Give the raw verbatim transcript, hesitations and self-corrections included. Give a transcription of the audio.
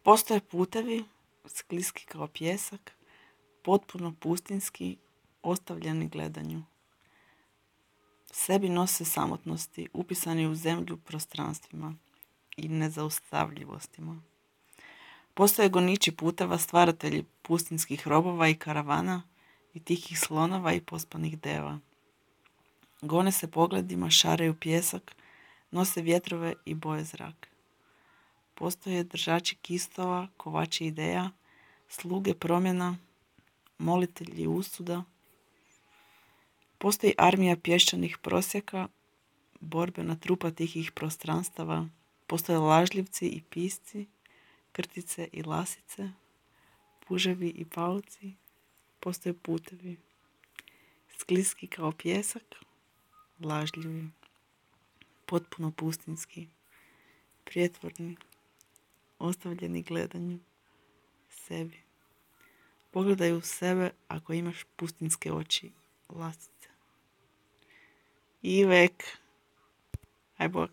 Postoje putevi, skliski kao pijesak, potpuno pustinski, ostavljeni gledanju. Sebi nose samotnosti, upisani u zemlju prostranstvima i nezaustavljivostima. Postoje goniči puteva, stvaratelji pustinskih robova i karavana i tihih slonova i pospanih deva. Gone se pogledima, šaraju pjesak, nose vjetrove i boje zrak. Postoje držači kistova, kovači ideja, sluge promjena, molitelji usuda. Postoji armija pješčanih prosjaka, borbena trupa tihih prostranstava. Postoje lažljivci i pisci, krtice i lasice, puževi i pauci. Postoje putevi, skliski kao pjesak, lažljivi, potpuno pustinski, prijetvorni, ostavljeni gledanju, sebi. Pogledaj u sebe ako imaš pustinske oči, lasice. Ivek, aj bok.